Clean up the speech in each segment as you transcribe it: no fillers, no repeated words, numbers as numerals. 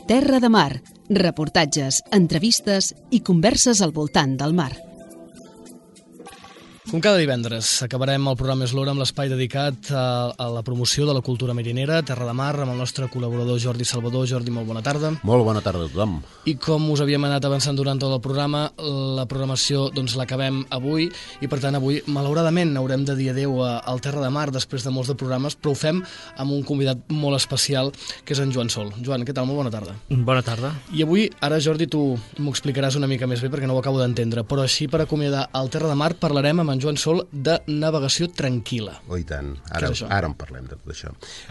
Terra de Mar, reportatges, entrevistes i converses al voltant del mar. Com cada divendres, acabarem el programa Eslora amb l'espai dedicat a la promoció de la cultura marinera, Terra de Mar, amb el nostre col·laborador Jordi Salvador. Jordi, molt bona tarda. Molt bona tarda a tothom. I com us havíem anat avançant durant tot el programa, la programació l'acabem avui i per tant avui malauradament haurem de dir adeu al Terra de Mar després de molts de programes, però ho fem amb un convidat molt especial que és en Joan Sol. Joan, què tal? Molt bona tarda. Bona tarda. I avui, ara Jordi, tu m'ho explicaràs una mica més bé perquè no ho acabo d'entendre, però així per acomiadar el Terra de Mar parlarem amb en Joan Sol de navegació tranquil·la. Oh, i tant. Ara en parlem de tot això.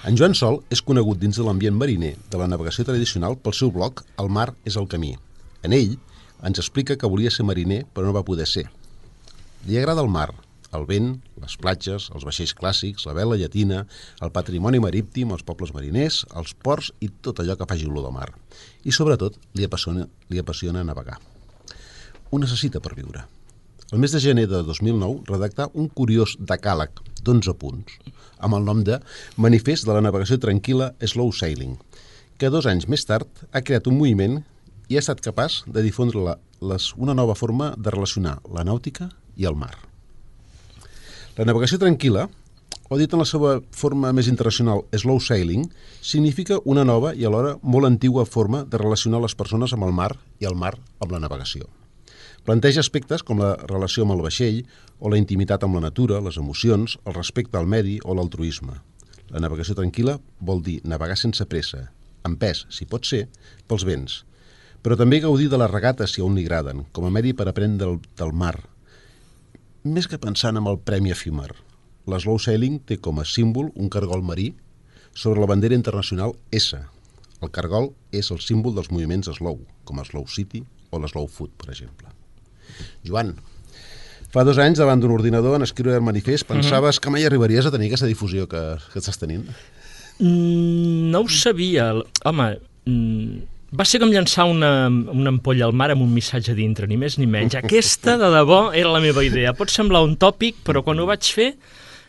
En Joan Sol és conegut dins de l'ambient mariner de la navegació tradicional pel seu blog El mar és el camí. En ell ens explica que volia ser mariner però no va poder ser. Li agrada el mar, el vent, les platges, els vaixells clàssics, la vela llatina, el patrimoni marítim, els pobles mariners, els ports i tot allò que faci olor de mar. I sobretot li apassiona navegar. Ho necessita per viure. El mes de gener de 2009 redactà un curiós decàleg d'11 punts amb el nom de Manifest de la navegació tranquil·la Slow Sailing, que 2 anys més tard ha creat un moviment i ha estat capaç de difondre una nova forma de relacionar la nàutica i el mar. La navegació tranquil·la, o dit en la seva forma més internacional Slow Sailing, significa una nova i alhora molt antigua forma de relacionar les persones amb el mar i el mar amb la navegació. Planteja aspectes com la relació amb el vaixell o la intimitat amb la natura, les emocions, el respecte al medi o l'altruisme. La navegació tranquil·la vol dir navegar sense pressa, amb pes, si pot ser, pels vents, però també gaudir de les regates si a un li agraden, com a medi per aprendre del mar. Més que pensant en el premi efímer, l'Slow Sailing té com a símbol un cargol marí sobre la bandera internacional S. El cargol és el símbol dels moviments slow, com a Slow City o l'Slow Food, per exemple. Joan, fa 2 anys davant d'un ordinador en escriure el manifest, pensaves que mai arribaries a tenir aquesta difusió que estàs tenint? No ho sabia. Home, va ser com llançar una ampolla al mar amb un missatge dintre, ni més ni menys. Aquesta, de debò, era la meva idea. Pot semblar un tòpic, però quan ho vaig fer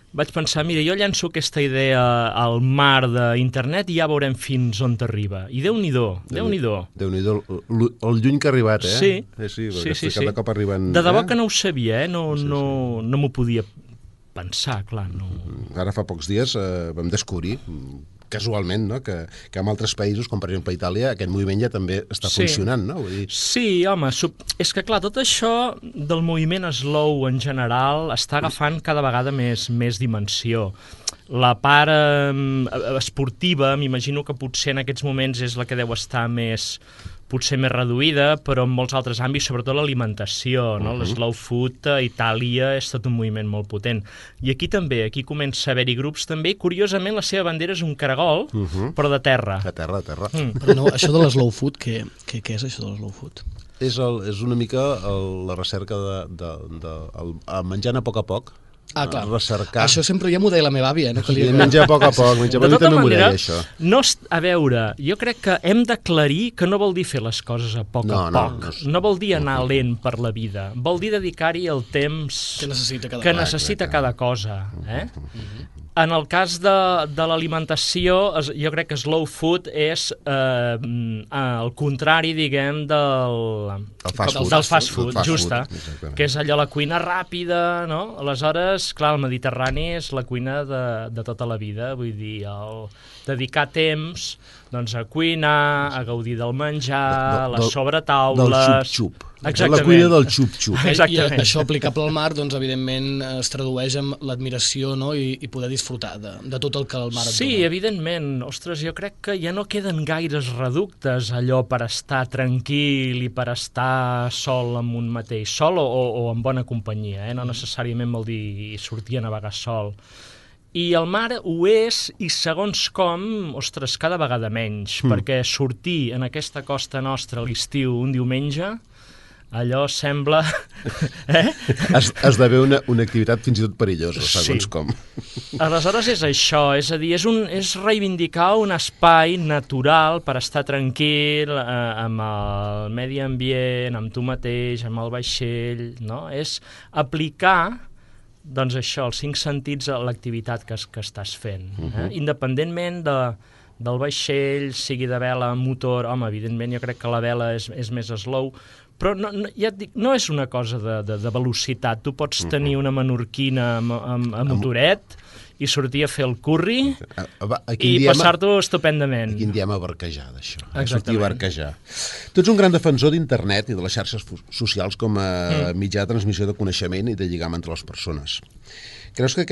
vaig pensar, mira, jo llanço aquesta idea al mar d'internet i ja veurem fins on t'arriba. I Déu-n'hi-do, Déu-n'hi-do. Déu-n'hi-do, el lluny que ha arribat, eh? Sí. Cada cop arriben... De debò que no ho sabia, no m'ho podia pensar, clar. No. Ara fa pocs dies vam descobrir, casualment, no? que en altres països, com per exemple Itàlia, aquest moviment ja també està funcionant, no? Vull dir... Sí, home, és que clar, tot això del moviment slow en general està agafant cada vegada més dimensió. La part esportiva, m'imagino que potser en aquests moments és la que deu estar potser més reduïda, però en molts altres àmbits, sobretot l'alimentació, no? L'slow food a Itàlia és tot un moviment molt potent. I aquí també, aquí comença a haver-hi grups també, i curiosament la seva bandera és un caragol, però de terra. De terra. Però no, això de l'slow food, què és això de l'slow food? És una mica la recerca de menjant a poc, clar. Recercar. Això sempre ja m'ho deia la meva àvia, no? Sí, menjar a poc, menjar a poc, també m'ho deia, això. A veure, jo crec que hem d'aclarir que no vol dir fer les coses a poc a poc. No vol dir anar lent per la vida. Vol dir dedicar-hi el temps que necessita cada cosa. En el cas de l'alimentació, jo crec que slow food és el contrari, diguem, del fast food, justa, que és allò la cuina ràpida, no? Aleshores, clar, el Mediterrani és la cuina de tota la vida, vull dir, dedicar temps a cuinar, a gaudir del menjar, les sobretaules... Del xup-xup. Exactament. La cuina del xup-xup. I això aplicable al mar, doncs, evidentment, es tradueix en l'admiració, no? I poder disfrutar de tot el que el mar et dona. Sí, evidentment. Ostres, jo crec que ja no queden gaires reductes allò per estar tranquil i per estar sol amb un mateix. Sol o en bona companyia, no necessàriament vol dir sortir a navegar sol. I el mar ho és, i segons com, ostres, cada vegada menys, perquè sortir en aquesta costa nostra a l'estiu un diumenge, allò sembla... Esdevé una activitat fins i tot perillosa, segons com. Aleshores és això, és a dir, és reivindicar un espai natural per estar tranquil amb el medi ambient, amb tu mateix, amb el vaixell, no? És aplicar doncs això, els 5 sentits a l'activitat que estàs fent. Independentment del vaixell, sigui de vela, motor... Home, evidentment jo crec que la vela és més slow, però ja et dic, no és una cosa de velocitat. Tu pots tenir una menorquina amb motoret i sortir a fer el curri i passar-t'ho estupendament. Aquí en diem a barquejar, d'això. Sortir a barquejar. Tu ets un gran defensor d'internet i de les xarxes socials com a mitjà de transmissió de coneixement i de lligam entre les persones. Creus que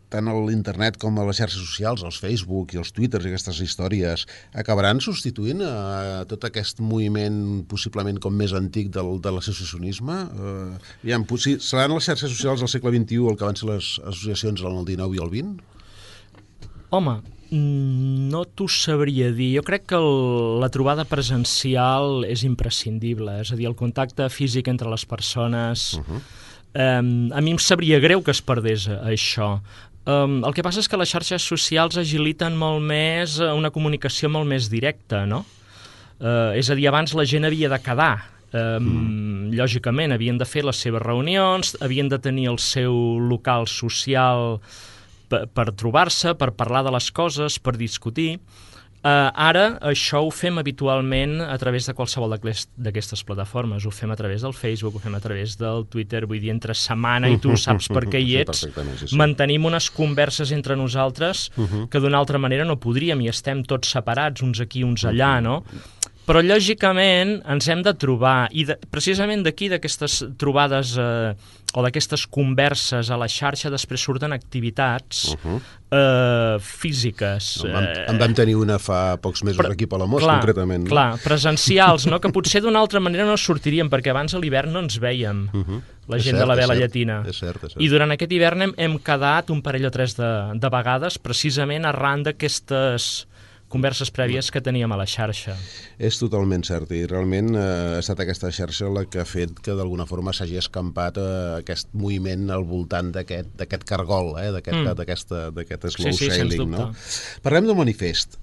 tant l'internet com a les xarxes socials, els Facebook i els Twitters i aquestes històries, acabaran substituint tot aquest moviment possiblement com més antic de l'associacionisme? Seran les xarxes socials del segle XXI el que van ser les associacions en el XIX i el XX? Home, no t'ho sabria dir. Jo crec que la trobada presencial és imprescindible, és a dir, el contacte físic entre les persones... A mi em sabria greu que es perdés això. El que passa és que les xarxes socials agiliten molt més una comunicació molt més directa, no? És a dir, abans la gent havia de quedar. Lògicament, havien de fer les seves reunions, havien de tenir el seu local social per trobar-se, per parlar de les coses, per discutir. Ara això ho fem habitualment a través de qualsevol d'aquestes plataformes. Ho fem a través del Facebook, ho fem a través del Twitter, vull dir, entre setmana i tu saps per què hi ets. Mantenim unes converses entre nosaltres que d'una altra manera no podríem i estem tots separats, uns aquí, uns allà, no? Però, lògicament, ens hem de trobar, i precisament d'aquí, d'aquestes trobades o d'aquestes converses a la xarxa, després surten activitats físiques. En vam tenir una fa pocs mesos aquí a Palamós, concretament. Clar, presencials, no? Que potser d'una altra manera no sortiríem, perquè abans a l'hivern no ens vèiem, la gent de la vela llatina. És cert. I durant aquest hivern hem quedat un parell o tres de vegades, precisament arran d'aquestes converses prèvies que teníem a la xarxa. És totalment cert, i realment ha estat aquesta xarxa la que ha fet que d'alguna forma s'hagi escampat aquest moviment al voltant d'aquest cargol, d'aquest slow sailing. No? Parlem del manifest.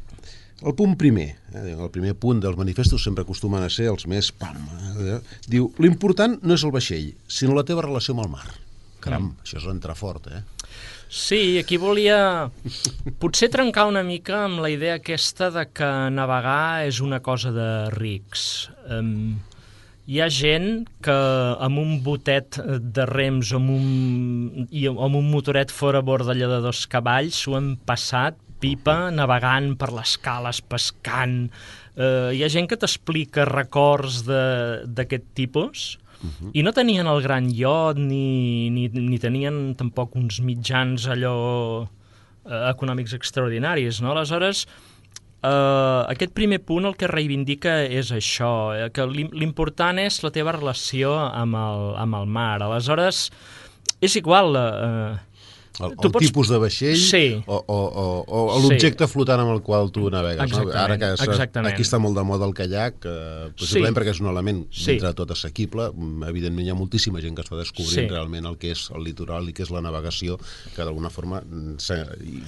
El punt primer, el primer punt dels manifestos sempre acostumen a ser els més... Diu, l'important no és el vaixell, sinó la teva relació amb el mar. Caram, això és entrar fort, Sí, aquí volia potser trencar una mica amb la idea aquesta de que navegar és una cosa de rics. Hi ha gent que amb un botet de rems o amb un motoret fora a bord d'allà de 2 cavalls s'ho han passat pipa, navegant per les cales, pescant. Hi ha gent que t'explica records d'aquest tipus i no tenien el gran iot ni tenien tampoc uns mitjans allò econòmics extraordinaris, no? Aleshores, aquest primer punt el que reivindica és això, que l'important és la teva relació amb el mar. Aleshores, és igual... El tipus de vaixell o l'objecte flotant amb el qual tu navegues. Ara que aquí està molt de moda el caiac, possiblement perquè és un element dintre de tot assequible, evidentment hi ha moltíssima gent que està descobrint realment el que és el litoral i què és la navegació, que d'alguna forma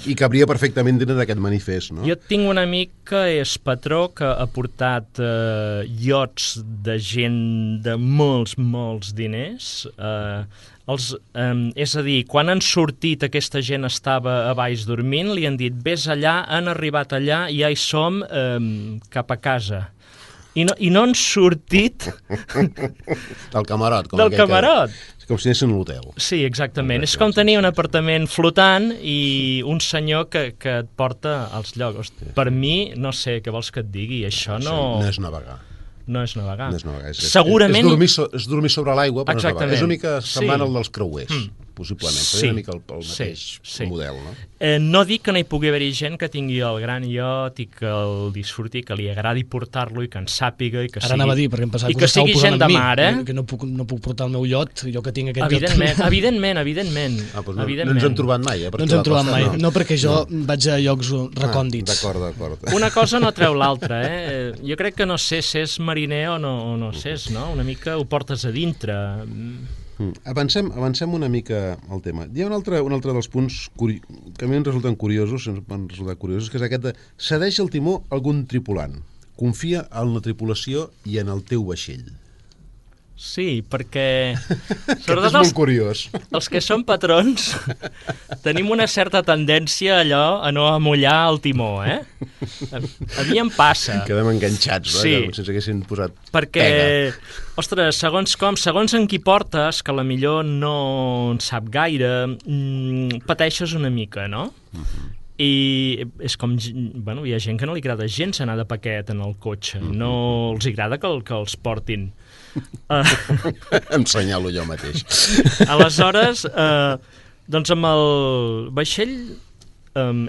hi cabria perfectament dins d'aquest manifest. Jo tinc un amic que és patró, que ha portat iots de gent de molts diners, és a dir, quan han sortit aquesta gent estava a baix dormint, li han dit vés allà, han arribat allà i ja hi som cap a casa. I no han sortit del camarot. Com si anessin a l'hotel. Sí, exactament. És com tenir un apartament flotant i un senyor que et porta als llocs. Per mi, no sé què vols que et digui, això no és navegar. No és navegar. Segurament... És dormir sobre l'aigua, però no és navegar. És una mica semblant al dels creuers, possiblement. Seria una mica el mateix model, no? No dic que no hi pugui haver gent que tingui el gran iot i que el disfruti, que li agradi portar-lo i que en sàpiga i que sigui... Ara anava a dir, perquè em pensava que us estàu posant amb mi, que no puc portar el meu iot, jo que tinc aquest iot. Evidentment. No ens hem trobat mai, No ens hem trobat mai. No, perquè jo vaig a llocs recòndits. D'acord. Una cosa no treu l'altra, Jo crec que no sé si és mariner o no sé, no? Una mica ho portes a dintre. Avancem una mica al tema. Hi ha un altre dels punts que a mi em resulten curiosos, que és aquest de cedeix el timó a algun tripulant, confia en la tripulació i en el teu vaixell. Sí, perquè... Aquest és molt curiós. Els que som patrons tenim una certa tendència allò a no amollar el timó, A mi em passa. Quedem enganxats, sí. Com si ens haguessin posat perquè, pega. Ostres, segons en qui portes, que a la millor no en sap gaire, pateixes una mica, no? I és com, bueno, hi ha gent que no li agrada gens anar de paquet en el cotxe, no els agrada que els portin. Em senyalo jo mateix. Aleshores, doncs amb el vaixell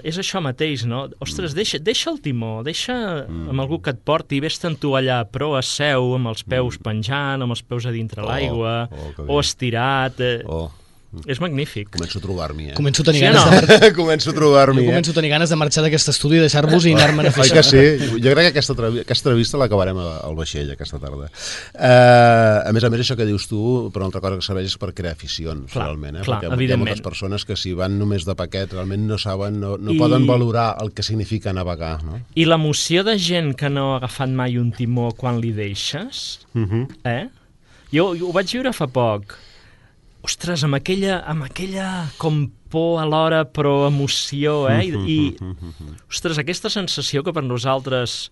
és això mateix, no? Ostres, deixa el timó, deixa amb algú que et porti, vés-te'n tu allà, però a seu, amb els peus penjant, amb els peus a dintre l'aigua, o estirat... És magnífic. Començo a trobar-m'hi, Començo a tenir ganes Començo a trobar-m'hi, Jo començo a tenir ganes de marxar d'aquest estudi i deixar-vos i anar-me'n a fer això. Oi que sí? Jo crec que aquesta entrevista l'acabarem al vaixell aquesta tarda. A més, això que dius tu, per una altra cosa que serveix és per crear aficions, realment. Clar, perquè hi ha moltes persones que si van només de paquet realment no saben, no poden valorar el que significa navegar. No? I l'emoció de gent que no ha agafat mai un timó quan li deixes, Jo ho vaig viure fa poc. Ostres, amb aquella com por alhora, però emoció, ostres, aquesta sensació que per nosaltres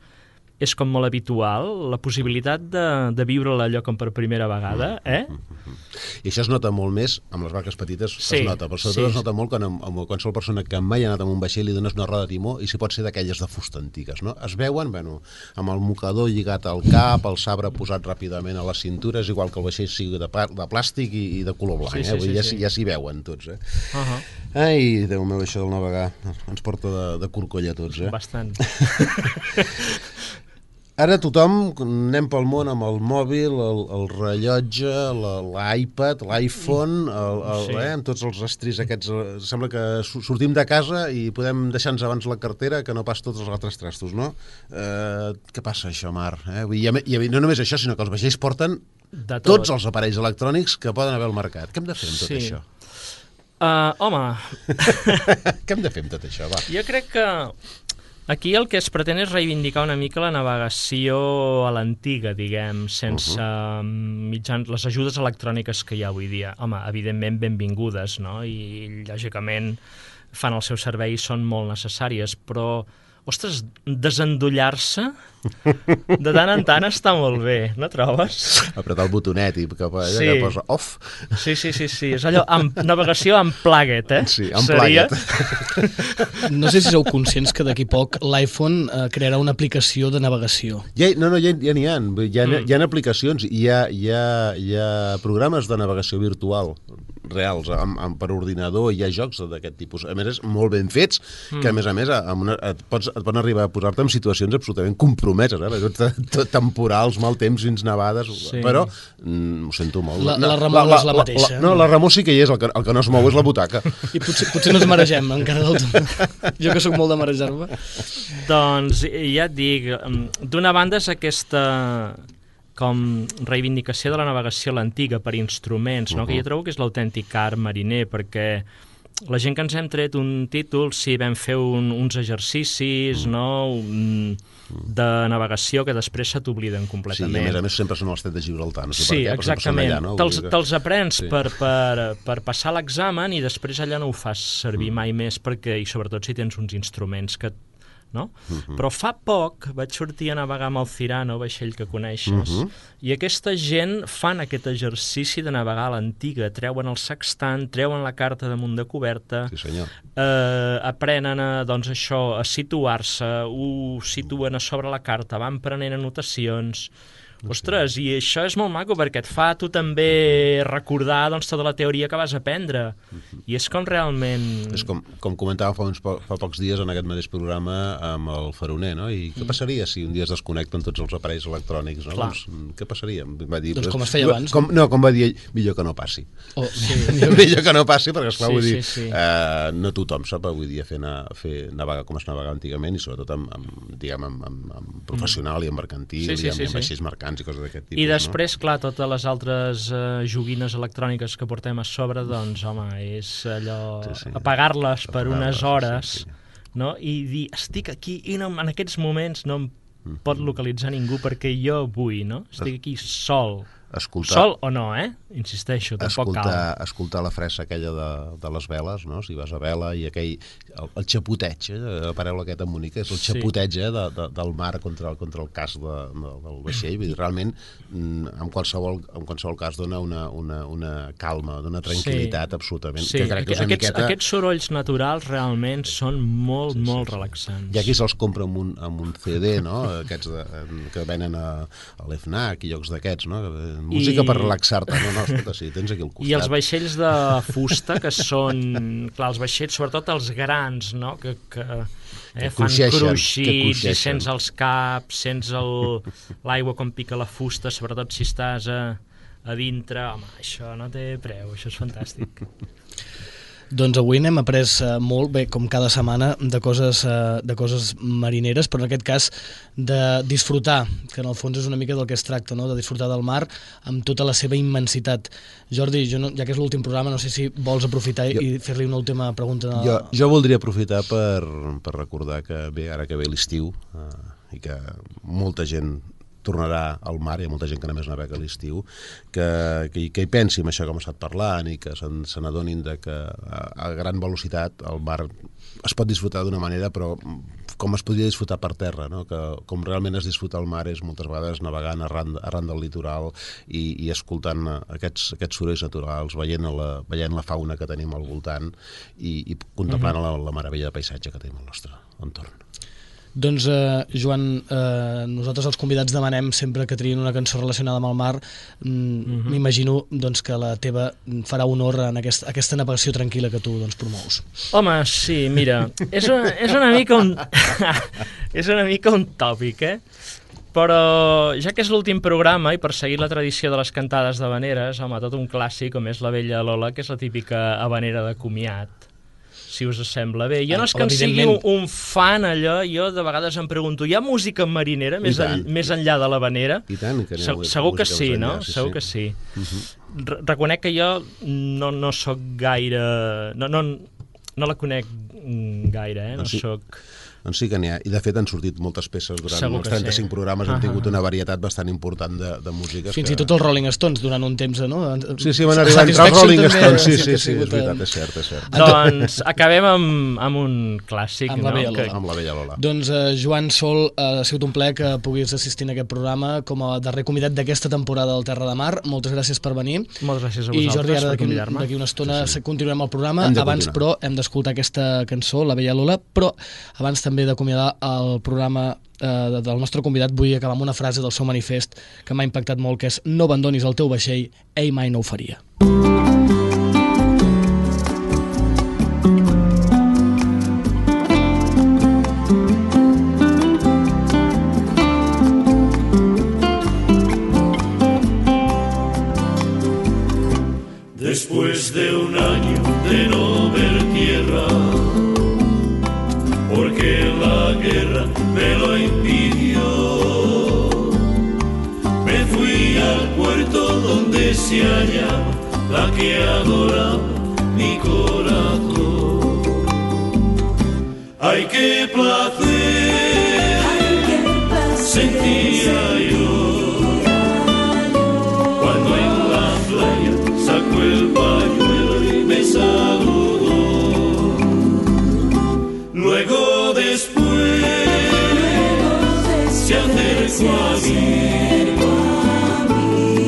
és com molt habitual, la possibilitat de viure-la allò com per primera vegada, I això es nota molt més, amb les barques petites es nota, però sobretot es nota molt quan amb qualsevol persona que mai ha anat amb un vaixell li dones una roda de timó i si pot ser d'aquelles de fusta antigues, no? Es veuen, amb el mocador lligat al cap, el sabre posat ràpidament a la cintura, és igual que el vaixell sigui de plàstic i de color blanc, ja s'hi veuen tots, Ai, Déu meu, això del navegar ens porta de corcoll a tots, Bastant. Ara tothom anem pel món amb el mòbil, el rellotge, l'iPad, l'iPhone, amb tots els estris aquests. Sembla que sortim de casa i podem deixar-nos abans la cartera que no pas tots els altres trastos, no? Què passa, això, Mar? I no només això, sinó que els vaixells porten tots els aparells electrònics que poden haver al mercat. Què hem de fer amb tot això? Home... Què hem de fer amb tot això, va? Jo crec que aquí el que es pretén és reivindicar una mica la navegació a l'antiga, diguem, sense mitjans, les ajudes electròniques que hi ha avui dia. Home, evidentment benvingudes, no? I lògicament fan el seu servei i són molt necessàries, però ostres, desendollar-se de tant en tant està molt bé, no trobes? Apretar el botonet i que posa off. Sí, és allò, navegació unplugged, Sí, unplugged. No sé si sou conscients que d'aquí poc l'iPhone crearà una aplicació de navegació. Ja n'hi ha. Hi ha aplicacions, hi ha programes de navegació virtual reals, per ordinador, hi ha jocs d'aquest tipus. A més, és molt ben fets, que a més et poden arribar a posar-te en situacions absolutament compromeses, temporals, mal temps, fins nevades, però ho sento molt. La remor no és la mateixa. No, la remor sí que hi és, el que no es mou és la butaca. I potser no ens maregem encara del tot. Jo que sóc molt de marejar-me. Doncs ja et dic, d'una banda és aquesta com reivindicació de la navegació a l'antiga per instruments, no? Que jo trobo que és l'autèntic art mariner, perquè la gent que ens hem tret un títol, sí, vam fer uns exercicis, no?, de navegació que després se t'obliden completament. Sí, i a més sempre són els Stret de Gibraltar, no sé per què, però exactament. Allà, no? Te'ls aprens per passar l'examen i després allà no ho fas servir mai més, perquè, i sobretot si tens uns instruments que no? Però fa poc vaig sortir a navegar amb el Cirano, vaixell que coneixes, i aquesta gent fan aquest exercici de navegar a l'antiga, treuen el sextant, treuen la carta damunt de coberta, aprenen doncs això, a situar-se, ho situen a sobre la carta, van prenent anotacions. Ostres, i això és molt maco perquè et fa tu també recordar doncs, tota la teoria que vas aprendre. I és com realment... És com comentàvem fa pocs dies en aquest mateix programa amb el Faroner, no? I què passaria si un dia es desconnecten tots els aparells electrònics? No? Doncs, què passaria? Va dir, doncs com es feia abans. Com va dir ell, millor que no passi. Millor que no passi, perquè esclar, vull dir, no tothom sap avui dia fer navegar com es navegava antigament i sobretot amb professional i amb mercantil i amb vaixells mercants i coses d'aquest tipus. I després, clar, totes les altres joguines electròniques que portem a sobre, doncs, home, és allò... apagar-les per unes hores, no? I dir, estic aquí i en aquests moments no em pot localitzar ningú perquè jo vull, no? Estic aquí sol. Sol o no, insisteixo, tampoc cal. Escoltar la fressa aquella de les veles, no? Si vas a vela i aquell... El xapoteig, la paraula aquesta bonica, és el xapoteig del mar contra el casc del vaixell. Vull dir, realment, en qualsevol cas dona una calma, dona tranquil·litat absolutament. Sí, aquests sorolls naturals realment són molt relaxants. Hi ha qui se'ls compra amb un CD, no? Aquests que venen a l'FNAC i llocs d'aquests, no? Música per relaxar-te. No, escolta, sí, tens aquí al costat. I els vaixells de fusta, que són... Clar, els vaixells, sobretot els grans, no? Que fan cruixits i sents els caps, sents l'aigua com pica la fusta, sobretot si estàs a dintre. Home, això no té preu, això és fantàstic. Doncs avui n'hem après molt, bé, com cada setmana, de coses marineres, però en aquest cas de disfrutar, que en el fons és una mica del que es tracta, no? De disfrutar del mar amb tota la seva immensitat. Jordi, ja que és l'últim programa, no sé si vols aprofitar i fer-li una última pregunta. Jo voldria aprofitar per recordar que bé, ara que ve l'estiu i que molta gent tornarà al mar, hi ha molta gent que només navega a l'estiu, que hi pensi en això que hem estat parlant i que se n'adonin que a gran velocitat el mar es pot disfrutar d'una manera, però com es podria disfrutar per terra, no? Que com realment es disfruta el mar és moltes vegades navegant arran del litoral i escoltant aquests sorolls naturals, veient la fauna que tenim al voltant i contemplant la meravella de paisatge que tenim al nostre entorn. Doncs, Joan, nosaltres els convidats demanem sempre que triïn una cançó relacionada amb el mar. M'imagino que la teva farà honor en aquesta navegació tranquil·la que tu promous. Home, sí, mira, és una mica un tòpic, però ja que és l'últim programa i per seguir la tradició de les cantades d'havaneres, home, tot un clàssic com és la Vella Lola, que és la típica havanera de comiat, si us sembla bé. Jo no és que en sigui un fan allò, jo de vegades em pregunto, hi ha música marinera més enllà de l'havanera? I tant, que segur que sí, no? Segur que sí. Reconec que jo no soc gaire... No la conec gaire, no soc... Doncs sí que n'hi ha, i de fet han sortit moltes peces durant els 35 programes, hem tingut una varietat bastant important de músiques. Fins i tot els Rolling Stones durant un temps, no? Sí, van arribar entre els Rolling Stones, sí, és veritat, és cert. Doncs acabem amb un clàssic, amb la Vella Lola. Doncs Joan Sol, ha sigut un plaer que puguis assistir en aquest programa com a darrer convidat d'aquesta temporada del Terra de Mar. Moltes gràcies per venir. Moltes gràcies a vosaltres. I Jordi, ara d'aquí una estona continuarem el programa. Abans, però, hem d'escoltar aquesta cançó, la Vella Lola, però abans també d'acomiadar el programa del nostre convidat, vull acabar amb una frase del seu manifest que m'ha impactat molt, que és: no abandonis el teu vaixell, ell mai no ho faria. Después de un año de no ver tierra, porque la guerra me lo impidió, me fui al puerto donde se hallaba la que adoraba mi corazón. ¡Ay, qué placer sentía yo cuando en la playa sacó el pañuelo y me saludó! Luego después se acercó a mí,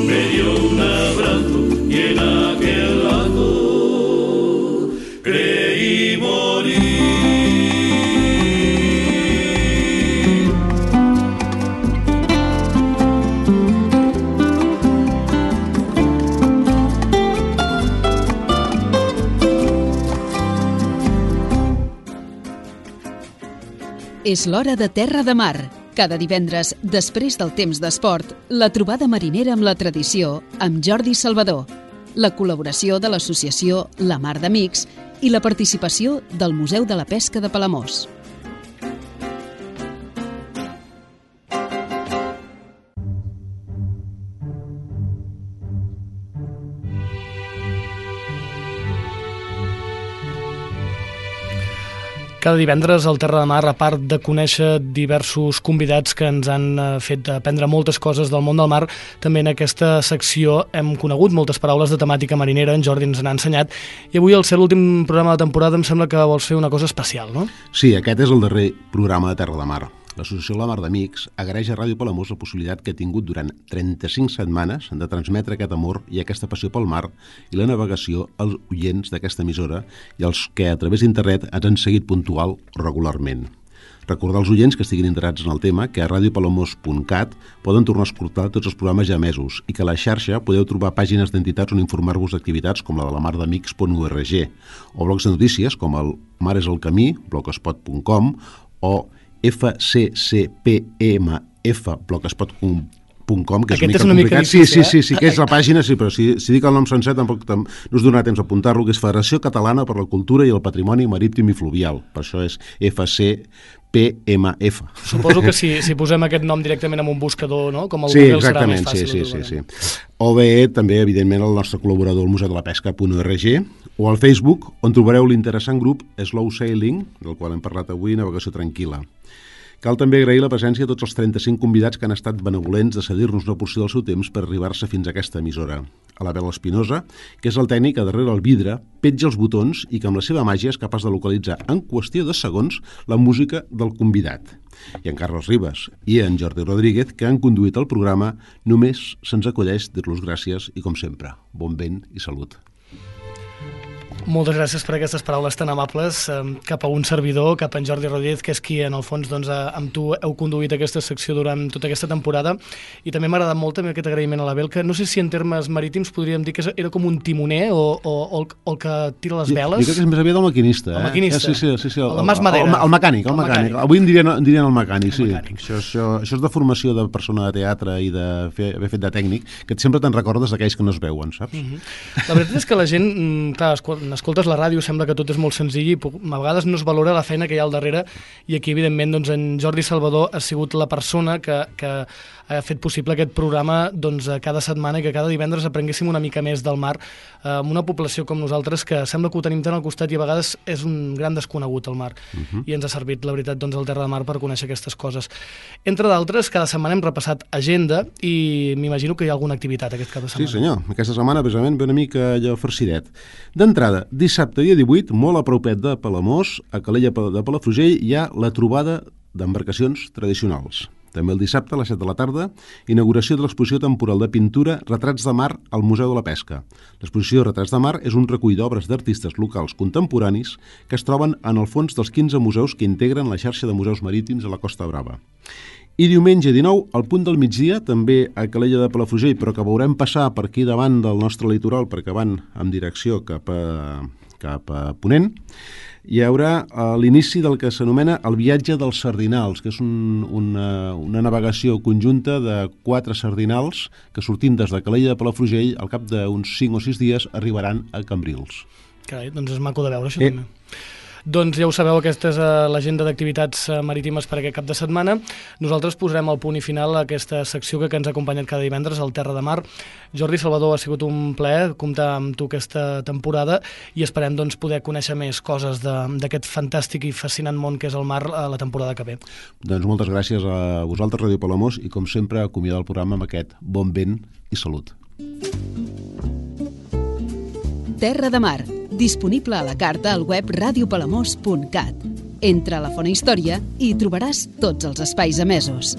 me dio un abrazo y en aquel acto creí morir. És l'hora de Terra de Mar. Cada divendres, després del temps d'esport, la trobada marinera amb la tradició amb Jordi Salvador, la col·laboració de l'associació La Mar d'Amics i la participació del Museu de la Pesca de Palamós. Cada divendres al Terra de Mar, a part de conèixer diversos convidats que ens han fet aprendre moltes coses del món del mar, també en aquesta secció hem conegut moltes paraules de temàtica marinera, en Jordi ens n'ha ensenyat, i avui, al ser l'últim programa de temporada, em sembla que vols fer una cosa especial, no? Sí, aquest és el darrer programa de Terra de Mar. L'Associació La Mar d'Amics agraeix a Ràdio Palamós la possibilitat que ha tingut durant 35 setmanes de transmetre aquest amor i aquesta passió pel mar i la navegació als oients d'aquesta emissora i als que a través d'internet ens han seguit puntual o regularment. Recordar als oients que estiguin interessats en el tema que a radiopalamós.cat poden tornar a escoltar tots els programes ja emesos i que a la xarxa podeu trobar pàgines d'entitats on informar-vos d'activitats com la de la mardamics.org o blogs de notícies com el Mar és el Camí, blogspot.com o fcpmf.blogspot.com, que és una mica complicat. Sí, que és la pàgina, sí, però si dic el nom sencer tampoc no us donarà temps d'apuntar-lo, que és Federació Catalana per la Cultura i el Patrimoni Marítim i Fluvial. Per això és FCPMF. Suposo que si posem aquest nom directament en un buscador, no? Com el Google, serà més fàcil. Sí. O bé, també, evidentment, el nostre col·laborador, el Museu de la Pesca.org, o al Facebook, on trobareu l'interessant grup Slow Sailing, del qual hem parlat avui, Navegació Tranquil·la. Cal també agrair la presència de tots els 35 convidats que han estat benevolents de cedir-nos una porció del seu temps per arribar-se fins a aquesta emissora. A l'Abel Espinosa, que és el tècnic que darrere el vidre petja els botons i que amb la seva màgia és capaç de localitzar en qüestió de segons la música del convidat. I en Carlos Ribas i en Jordi Rodríguez, que han conduït el programa, només se'ns acudeix dir-los gràcies i, com sempre, bon vent i salut. Moltes gràcies per aquestes paraules tan amables cap a un servidor, cap a en Jordi Rodríguez, que és qui en el fons amb tu heu conduït aquesta secció durant tota aquesta temporada, i també m'ha agradat molt també aquest agraïment a l'Abel, que no sé si en termes marítims podríem dir que era com un timoner o el que tira les veles. Jo crec que és més aviat el maquinista. El maquinista. Sí, el Mas Madera. El mecànic. Avui en dirien el mecànic, sí. Això és de formació de persona de teatre i d'haver fet de tècnic, que sempre te'n recordes d'aquells que no es veuen, saps? La veritat és que la gent, clar, escoltes la ràdio, sembla que tot és molt senzill i a vegades no es valora la feina que hi ha al darrere, i aquí evidentment doncs, en Jordi Salvador ha sigut la persona que ha fet possible aquest programa cada setmana i que cada divendres aprenguéssim una mica més del mar amb una població com nosaltres que sembla que ho tenim tant al costat i a vegades és un gran desconegut el mar, i ens ha servit la veritat el Terra de Mar per conèixer aquestes coses. Entre d'altres, cada setmana hem repassat agenda i m'imagino que hi ha alguna activitat aquest cap de setmana. Sí senyor, aquesta setmana precisament ve una mica allò farcidet. D'entrada, dissabte dia 18, molt a propet de Palamós, a Calella de Palafrugell, hi ha la trobada d'embarcacions tradicionals. També el dissabte a les 7 de la tarda, inauguració de l'exposició temporal de pintura Retrats de Mar al Museu de la Pesca. L'exposició Retrats de Mar és un recull d'obres d'artistes locals contemporanis que es troben en el fons dels 15 museus que integren la xarxa de museus marítims a la Costa Brava. I diumenge 19, al punt del migdia, també a Calella de Palafrugell, però que veurem passar per aquí davant del nostre litoral perquè van en direcció cap a Ponent, hi haurà l'inici del que s'anomena el viatge dels sardinals, que és una navegació conjunta de 4 sardinals que sortint des de Calella de Palafrugell al cap d'uns 5 o 6 dies arribaran a Cambrils. Carai, doncs és maco de veure això també. Doncs ja ho sabeu, aquesta és l'agenda d'activitats marítimes per aquest cap de setmana. Nosaltres posarem el punt i final a aquesta secció que ens ha acompanyat cada divendres al Terra de Mar. Jordi Salvador, ha sigut un plaer comptar amb tu aquesta temporada i esperem poder conèixer més coses d'aquest fantàstic i fascinant món que és el mar a la temporada que ve. Doncs moltes gràcies a vosaltres, Ràdio Palamós, i com sempre acomiadar el programa amb aquest bon vent i salut. Terra de Mar, disponible a la carta al web radiopalamós.cat. Entra a la Fona Història i hi trobaràs tots els espais emesos.